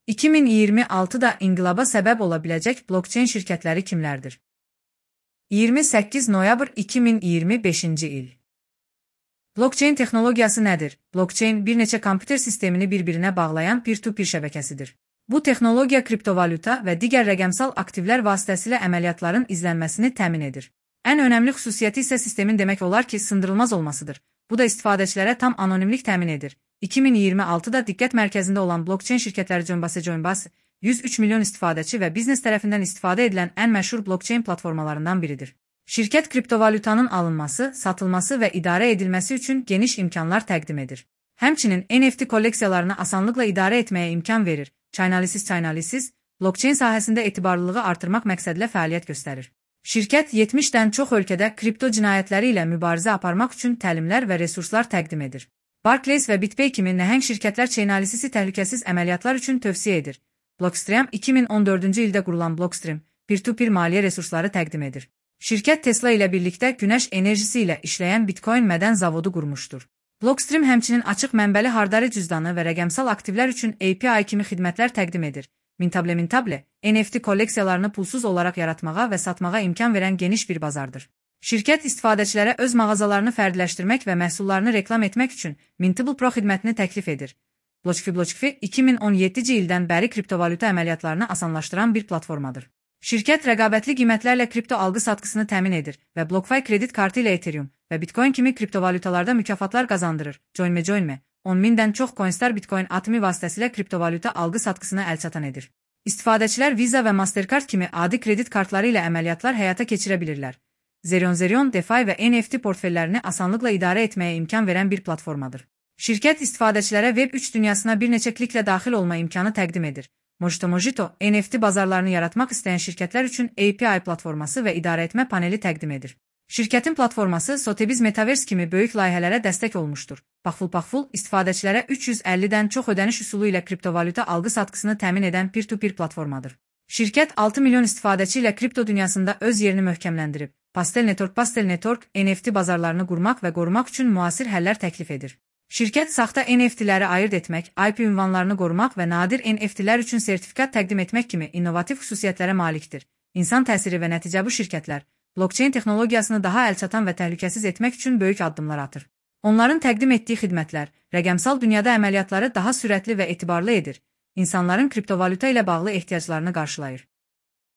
2026-da inqilaba səbəb ola biləcək blockchain şirkətləri kimlərdir? 28 noyabr 2025-ci il. Blockchain texnologiyası nədir? Blockchain bir neçə kompüter sistemini bir-birinə bağlayan peer-to-peer şəbəkəsidir. Bu texnologiya kriptovalyuta və digər rəqəmsal aktivlər vasitəsilə əməliyyatların izlənməsini təmin edir. Ən önəmli xüsusiyyəti isə sistemin demək olar ki, sındırılmaz olmasıdır. Bu da istifadəçilərə tam anonimlik təmin edir. 2026-da diqqət mərkəzində olan blockchain şirkətləri Coinbase, 103 milyon istifadəçi və biznes tərəfindən istifadə edilən ən məşhur blockchain platformalarından biridir. Şirkət kriptovalyutanın alınması, satılması və idarə edilməsi üçün geniş imkanlar təqdim edir. Həmçinin NFT kolleksiyalarını asanlıqla idarə etməyə imkan verir. Chainalysis, blockchain sahəsində etibarlılığı artırmaq məqsədilə fəaliyyət göstərir. Şirkət 70-dən çox ölkədə kripto cinayətləri ilə mübarizə aparmaq üçün təlimlər və resurslar təqdim edir. Barclays və BitPay kimi nəhəng şirkətlər Chainalysisi təhlükəsiz əməliyyatlar üçün tövsiyə edir. Blockstream 2014-cü ildə qurulan Blockstream, peer-to-peer maliyyə resursları təqdim edir. Şirkət Tesla ilə birlikdə günəş enerjisi ilə işləyən Bitcoin mədən zavodu qurmuşdur. Blockstream həmçinin açıq mənbəli hardari cüzdanı və rəqəmsal aktivlər üçün API kimi xidmətlər təqdim edir. Mintable, NFT kolleksiyalarını pulsuz olaraq yaratmağa və satmağa imkan verən geniş bir bazardır. Şirkət istifadəçilərə öz mağazalarını fərdiləşdirmək və məhsullarını reklam etmək üçün Mintable Pro xidmətini təklif edir. BlockFi 2017-ci ildən bəri kriptovalyuta əməliyyatlarını asanlaşdıran bir platformadır. Şirkət rəqabətli qiymətlərlə kripto alqı-satqısını təmin edir və BlockFi kredit kartı ilə Ethereum və Bitcoin kimi kriptovalyutalarda mükafatlar qazandırır. Joinme, 10.000-dən çox Coinstar Bitcoin atımı vasitəsilə kriptovalyuta alqı-satqısına əlçatan edir. İstifadəçilər Visa və Mastercard kimi adi kredit kartları ilə əməliyyatlar həyata keçirə bilirlər. Zerion, DeFi və NFT portfellərini asanlıqla idarə etməyə imkan verən bir platformadır. Şirkət istifadəçilərə Web3 dünyasına bir neçə kliklə daxil olma imkanı təqdim edir. Mojito, NFT bazarlarını yaratmaq istəyən şirkətlər üçün API platforması və idarə etmə paneli təqdim edir. Şirkətin platforması Sotheby's Metaverse kimi böyük layihələrə dəstək olmuşdur. Paxful istifadəçilərə 350-dən çox ödəniş üsulu ilə kriptovalyuta alqı-satqısını təmin edən peer-to-peer platformadır. Şirkət 6 milyon istifadəçi ilə kripto dünyasında öz yerini möhkəmləndirib. Pastel Network NFT bazarlarını qurmaq və qorumaq üçün müasir həllər təklif edir. Şirkət saxta NFT-ləri ayırd etmək, IP ünvanlarını qorumaq və nadir NFT-lər üçün sertifikat təqdim etmək kimi innovativ xüsusiyyətlərə malikdir. İnsan təsiri və nəticə bu şirkətlər blockchain texnologiyasını daha əlçatan və təhlükəsiz etmək üçün böyük addımlar atır. Onların təqdim etdiyi xidmətlər rəqəmsal dünyada əməliyyatları daha sürətli və etibarlı edir. İnsanların kriptovalyuta ilə bağlı ehtiyaclarını qarşılayır.